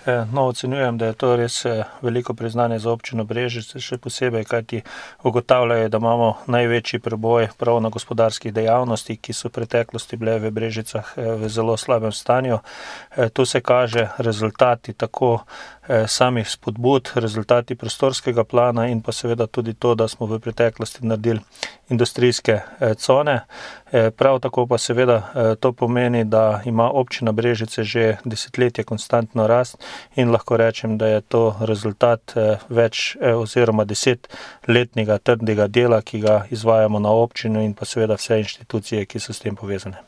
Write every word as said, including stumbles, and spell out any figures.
No, ocenjujem, da je to res veliko priznanje za občino Brežice, še posebej, kajti ugotavljajo, da imamo največji preboj prav na gospodarskih dejavnosti, ki so v preteklosti bile v Brežicah v zelo slabem stanju. Tu se kaže rezultati tako samih spodbud, rezultati prostorskega plana in pa seveda tudi to, da smo v preteklosti naredili industrijske cone. Prav tako pa seveda to pomeni, da ima občina Brežice že desetletje konstantno rast in lahko rečem, da je to rezultat več oziroma desetletnega trdega dela, ki ga izvajamo na občini in pa seveda vse inštitucije, ki so s tem povezane.